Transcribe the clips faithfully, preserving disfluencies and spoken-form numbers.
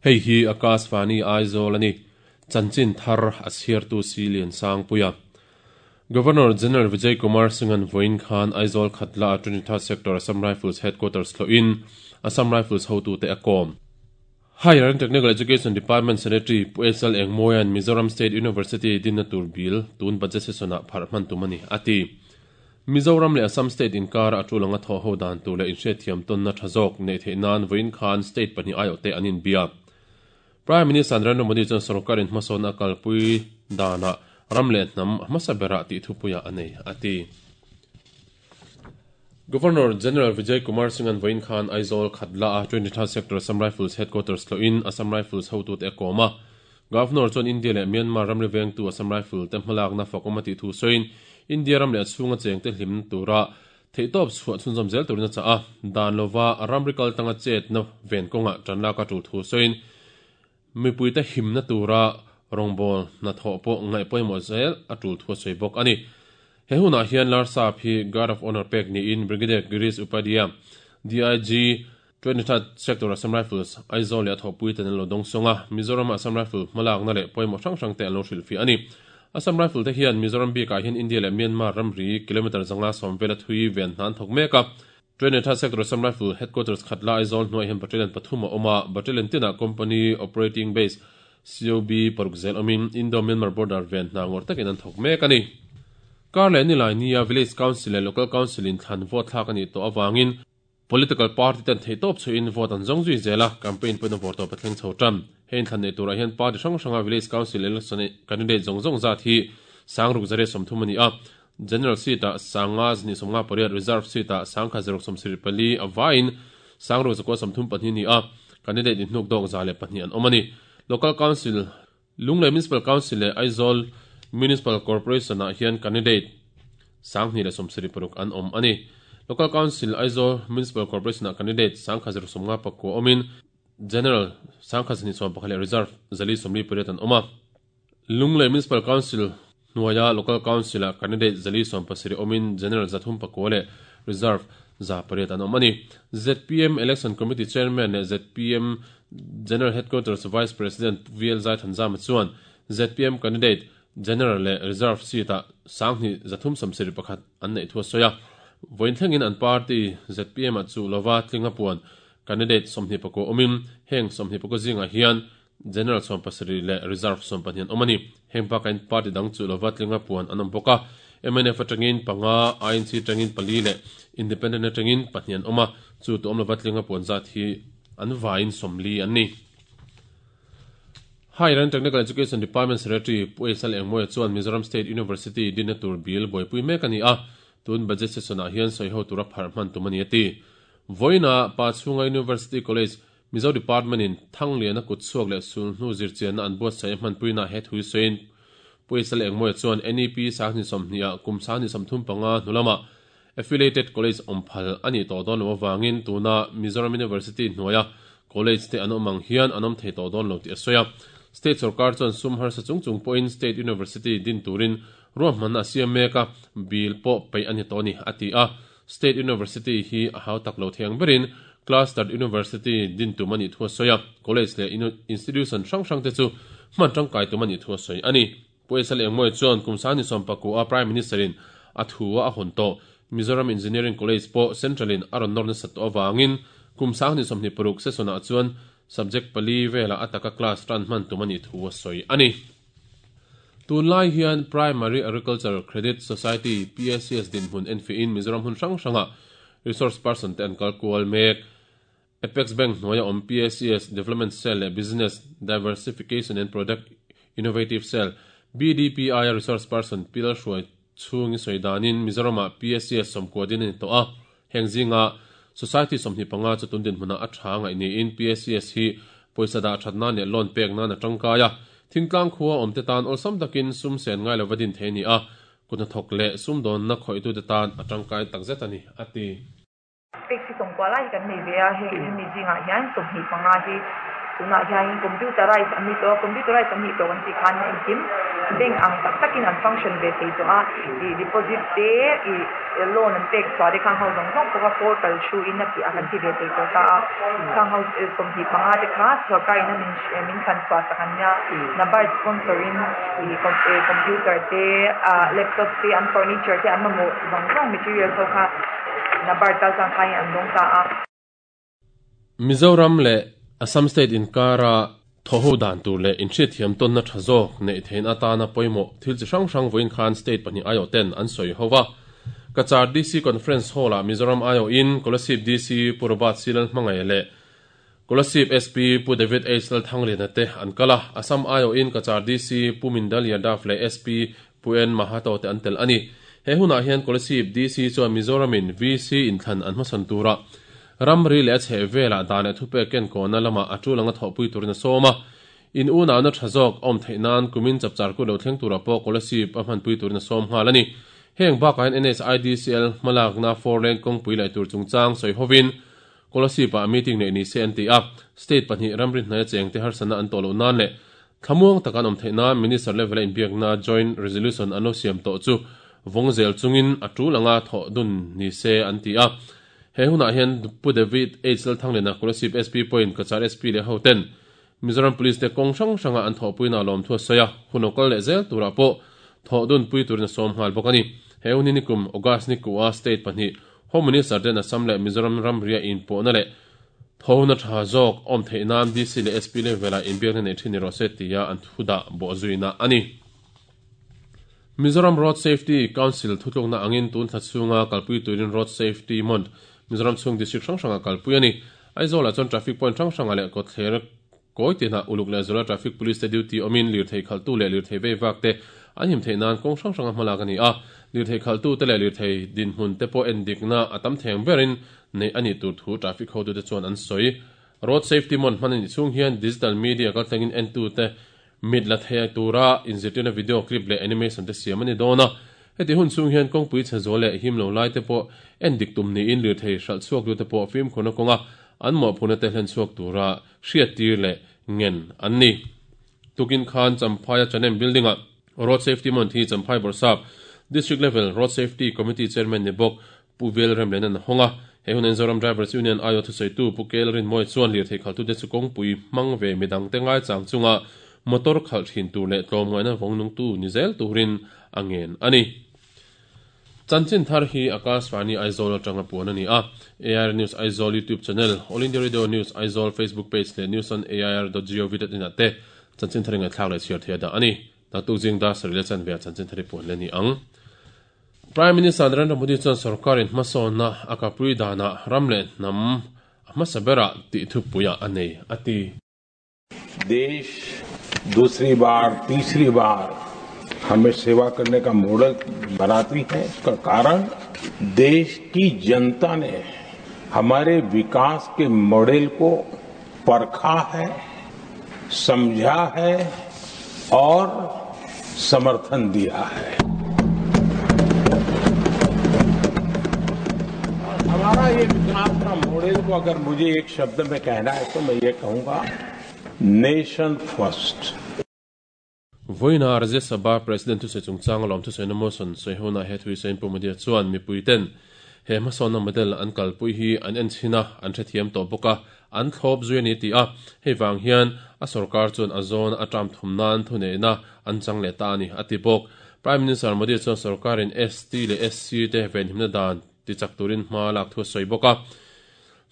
Hei hi Akashvani Aizawl ani chanchin thar a chhiartu Silian Sangpuia Governor General Vijay Kumar Singh an voin khan Aizawl Khatla twenty-third Sector Assam Rifles Headquarters thlawhin Assam Rifles hotu te a kawm. Higher and Technical Education Department Secretary Pu Esal Engmoyan Mizoram State University dinna tur bill tun budget session ah phar hman tum ani ati. Mizoram leh Assam State inkar a tulanga thaw ho dan tur leh inhriatthiam tawnna tha zawk nei theih nan voin khan state pahnih aiawh te an inbia. Prime Minister Narendra Modi chuan sarkarin hmasawn a kalpui dana ram leh hnam hmasa bera tih thupuia a nei ati. Governor General Vijay Kumar Singh an voin khan Aizawl Khatla a twenty-third Sector Assam Rifles Headquarters thlawhin Assam Rifles hotu te a kawm a. Governor chuan India leh Myanmar ramri vengtu Assam Rifle te hmalakna fakawm a tih thu sawiin India ram leh a chhunga cheng te hlim tura theihtawp chhuah chhunzawm zel turin a chah a. Dan lova ramri kal tanga chetna ven kawnga tanlak a tul thu sawiin mipui te himna tura rawngbâwl hnathawh pawh ngaih pawimawh zel a tul thu a sawi bawk ani. He hunah hian Larsap hi Guard of Honor pek niin Brigadier Girish Upadhyay D I G twenty-third Sector Assam Rifles Aizawl leh a thawhpui ten an lo dawng sawng a. Mizoram Assam Rifle hmalakna leh pawimawh hrang hrang te an lo hrilhfiah ani. Assam Rifle te hian Mizoram bikah hian India leh Myanmar ramri kilometer zanga sawm vela thui ven hna an thawk mek a. twenty-third Sector Assam Rifle Headquarters Khatla Aizawl hnuai hian battalion pathum a awm a. Battalion tinah Company Operating Base C O B paruk zel awmin Indo-Myanmar border ven hna ngawr takin an thawk mek ani. Kar leh nilai nia Village Council leh Local Council in thlan vote thlak ani tawh awangin political party ten theihtawp chhuin vote an zawng zui zel a. Campaign pawhin a vawr tawp a thleng chho tan. Hei in thlan nei turah hian party hrang hranga Village Council election candidate zawng zawng zat hi sangruk zare sawmthum ani a. General seat ah sanga zani sawmnga pariat, reserve seat ah sangkha zaruk sawmsarih pali awain sangruk zakua sawmthum pahnih ni a. Candidate in hnuk dawk za leh pahnih an awm ani. Local Council Lunglei Municipal Council leh Aizawl Municipal Corporation ah hian candidate sanghnih leh sawmsarih paruk an awm ani. Local Council Aizawl Municipal Corporation ah candidate sangkha zaruk sawmnga pakua awmin General sangkha zani sawm pakhat leh reserve zali sawmli pariat an awm a. Lunglei Municipal Council hnuaia Local Council ah candidate zali sawm pasarih awmin General zathum pakua leh reserve za pariat an awm ani. Z P M Election Committee Chairman leh Z P M General Headquarters Vice President V L Zaithanzama chuan Z P M candidate General leh reserve seat ah sanghnih zathum sawmsarih pakhat an neih thu a sawi a. Vawiin thlengin an party Z P M ah chu lova tlinga puan candidate sawmhnih pakua awmin heng sawmhnih pakua zingah hian General sawm pasarih leh reserve sawm pahnih an awm ani. Heng bakain party dang chu lova tlinga puan an awm bawk a. M N F atangin panga, I N C atangin pali leh Independent atangin pahnih an awm a. Chu tu awm lova tlinga puan zat hi an vain sawmli an ni. Higher and Technical Education Department Secretary Pu Esal Engmoya chuan Mizoram State University dinna tur bill buaipui mek ani a. Tun budget session ah hian sawi ho tura phar hman tum ani ati. Voina pa chhunga University College Mizo Department in Thanglian a kut chhuak leh sul hnu zirchianna an buatsaih hman puina he thui sawiin Pu Esal Engmoya chuan N E P sanghnih sawmhnih ah kum sanghnih sawmthum panga hnulama affiliated college awmphal ani tawh dawn lo awangin tuna Mizoram University hnuaia college te an awm ang hian an awm thei tawh dawn lo tih a sawi a. State sarkar chuan sum harsa chung chung pawhin State University din turin ruahmanna a siam mek a, bill pawh peih ani tawh ani a ti a. State University hi a hau tak lo thiang berin Cluster University din tum ani thu a sawi a. College leh institution hrang hrang te chu hman tangkai tum ani thu a sawi ani. Pu Esal Engmoya chuan kum sanghnih sawm pakua a Prime Minister in a thu a hawn tawh Mizoram Engineering College pawh Central in a rawn nawrna sat tawh awangin kum sanghnih sawmhnih paruk session ah chuan subject pali vela ataka class tan hman tum ani thu a sawi ani. Tunlai hian Primary Agricultural Credit Society P A C S din hmun enfi in Mizoram hun hrang hranga resource person te an kalkual mek. Apex Bank hnuaia awm P A C S Development Cell leh Business Diversification and Product Innovative Cell B D P I a resource person Pil Hruai chhungi sawi danin Mizorama P A C S sawmkua din ani tawh a. Heng zinga Society sawmhnih panga chu tun din hmuna a tha ngaih niin P A C S hi pawisa dah thatna leh loan pek nan a tangkai a. Thingtlang khua awm te tan awlsam takin sum sen ngai lova din thei ni a. Kutna thawk leh sum dawnna khawihtu te tan a tangkai takzet ani ati. Pek si sawmkua lai hi kan nei ve a, heng hemi zingah hian sawmhnih panga hi tunah hian computerized an ni tawh a, computerized an nih tawh kan tih khan engkim Bank ang tak takin an function ve thei tawh a, ih deposit te ih loan an pek chhuah te khang ho zawng zawng pawh kha portal thu in a tih a kan ti ve thei tawh ta a, khang ho sawmhnih panga te kha sorkar in a min min thlan chhuah sak an nia, NABARD sponsor in ih computer te ah laptop te an furniture te an mamawh zawng zawng materials ho kha NABARD kal tlang khain an dawng ta a. Mizoram leh Assam State inkara thaw ho dan tur leh inhriatthiam tawnna tha zawk neih theihna atana pawimawh thil chi hrang hrang vawiin khan state pahnih aiawh ten an sawi ho va. Cachar D C Conference Hall ah Mizoram aiawhin Kolasib D C Pu Robert C Lalhmangaih leh Kolasib S P Pu David H Lalthangliana te an kal a. Assam aiawhin Cachar D C Pu Mindal Yadav leh S P Pu N Mahato te an tel a ni. He hunah hian Kolasib D C chuan Mizoramin V C inthlan an hmasawn turah ramri leh a chheh velah dan leh thupek ken kawhna lamah a tul anga thawhpui turin a sawm a. In unauhna tha zawk awm theih nan kumin chapchar ku lo thleng turah pawh Kolasib a hmanpui turin a sawm nghal a ni. Heng bakah hian N S I D C L hmalakna four lane kawngpui laih tur chungchang sawi hovin Kolasib ah meeting neih ni se an ti a. State pahnih ramri hnaia cheng te harsana an tawh loh nan leh thlamuang taka an awm theih nan Minister level a inbiakna joint resolution an lo siam tawh chu vawng zel chungin a tul anga thawh dun ni se an ti a. He hunah hian Pu David H Lalthangliana Kolasib S P point Cachar S P leh ho ten Mizoram Police te kawng hrang hranga an thawhpuina lawm thu a sawi a, hun lo kal leh zel turah pawh thawh dun pui turin a sawm nghal bawk a ni. He hun hi nikum August ni kuah state pahnih Home Minister ten Assam leh Mizoram ramria inpawhna leh thawhna tha zawk awm theih nan D C leh S P level ah inbiakna nei thin ni rawh se tia an thu dah bawh zuina a ni. Mizoram Road Safety Council thutlukna angin tun thla chhunga kalpui turin Road Safety Month Mizoram chhung district hrang hranga kalpui a ni. Aizawl ah chuan traffic point hrang hranga leh kawtthler kawi tinah uluk leh zula traffic police te duty awmin lirthei khaltu leh lirthei vei vak te an him theih nan kawng hrang hranga hmalak a ni a. Lirthei khaltu te leh lirthei dinhmun te pawh en dikna a tam theng berin nei a nih tur thu traffic hotu te chuan an sawi. Road Safety Month hman a nih chhung hian digital media kaltlangin entu te mit la thei tura inzirtirna video clip leh animation te siam a ni dawn a. Heti hun chhung hian kawngpui chhe zawl leh him lo lai te pawh en dik tum niin lirthei hralh chhuak tu te pawh fimkhurna kawnga an mawhphurna te hlen chhuak tura hriat tir leh ngen an ni. Tukin khan Champhaia Chanem building ah Road Safety Month hi Champhai Bawrhsap District Level Road Safety Committee Chairman ni bawk Pu Vel Remlen an hawng a. He hun Mizoram Drivers Union aiawh thusawitu Pu Kel Rinmawi chuan lirthei khaltu te chu kawngpui hmang ve midang te ngai chang chunga motor khalh thin tur leh tlawm ngaihna vawng nungtu ni zel turin a ngen a ni. Chanchin thar hi Akashvani Aizawl atanga puan a ni a. A I R News Aizawl YouTube channel, All India Radio News Aizawl Facebook page leh news on A I R dot gov dot in ah te chanchin thar ingai thlak leh chhiar thei a dah a ni. Naktuk jing da sarih leh chanve ah chanchin thar hi puan le ni ang. Prime Minister Narendra Modi chuan sarkarin hmasawnna a kapui danah ram leh hnam a hmasa berah tih thupuiah a nei a ti. देश दूसरी बार तीसरी बार हमें सेवा करने का मॉडल बनाती है। इसका कारण देश की जनता ने हमारे विकास के मॉडल को परखा है, समझा है और समर्थन दिया है। हमारा ये विकास का मॉडल को अगर मुझे एक शब्द में कहना है तो मैं ये कहूंगा, nation first. Voina Rajya Sabha President tu se chungchang lawm thu sawi motion sawi hona he thui sain Pu Modi chuan mipui ten he hmasawnna model an kalpui hi an en chhina an hrethiam tawh bawk a, an thlawp zui ani ti a. Hei vang hian a sarkar chuan a zawn a tram thum nan thu neihna an chang leh ta ani a ti bawk. Prime Minister Modi chuan sarkarin S T leh S C te venhimna dan ti chak turin hma lak thu sawi bawk a.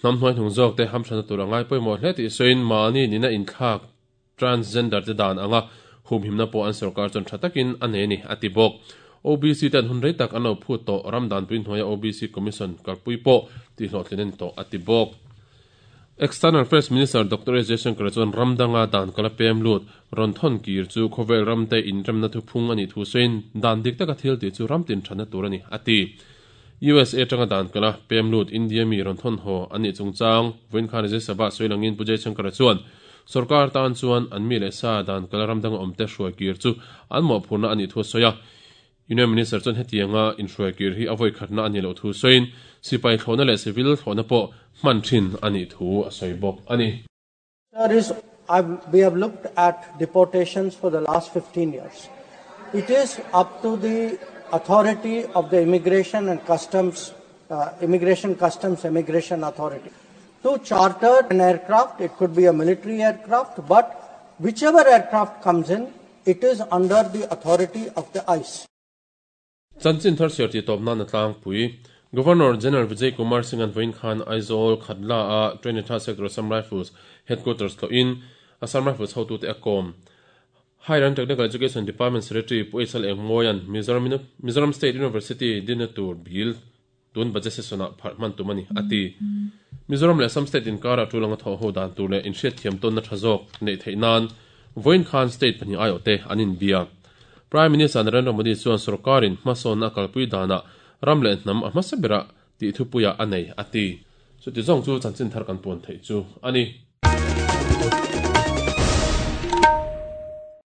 Hnam hnuai hnung zawk te hamthana tur angai pawimawh hle tih sawiin mahni nina inthlak transgender te dan anga humhimna pawh an sarkar chuan tha takin a nei ni a ti bawk. O B C ten hun rei tak an lo phut tawh ram dan pui hnuaia O B C Commission kalpui pawh tih hlawhtlin ani tawh a ti bawk. External Affairs Minister Doctor S Jaishankar chuan ramdanga dan kala pem lut rawn thawn kir chu khawvel ram te inremna thu phung ani thu sawiin dan dik taka thil tih chu ram tin thana tur ani a ti. U S A tanga dan kala pem lut India mi rawn thawn haw ani chungchang vawiin khan Rajya Sabha sawi langin Pu Jaishankar chuan sarkar tan chuan an mi leh sa dan kala ramdanga awm te hruai kir chu an mawhphurna ani thu sawi a. Union Minister chuan hetianga inhruai kir hi a vawi khatna ani lo thu sawiin sipai thlawhna leh civil thlawhna pawh hman thin ani thu a sawi bawk ani. Sir, is, I've, we have looked at deportations for the last fifteen years. It is up to the authority of the Immigration and Customs, uh, Immigration Customs Immigration Authority to charter an aircraft. It could be a military aircraft, but whichever aircraft comes in, it is under the authority of the ICE. Chanchin thar chhiar ti tawp nan a tlangpui. Governor General Vijay Kumar Singh an vawiin khan Aizawl Khatla a twenty third Sector Assam Rifles Headquarters tlawhin Assam Rifles hotute a kawm. Higher and Technical Education Department Secretary Pu H L Engmawian Mizoram Mizoram State University dinna tur bil tun budget session ah pharh hman tum a ni a ti. Mizoram leh Assam State inkara tulanga thaw ho dan tur leh inhriat thiam tawnna tha zawk neih theih nan vawiin khan state pahnih aiawhte an inbia. Prime Minister Narendra Modi chuan sarkarin hmasawnna kalpui danah ram leh hnam a hmasa berah tih thupuia a nei a ti. Chuti zawng chu chanchin thar kan puan theih chu a ni.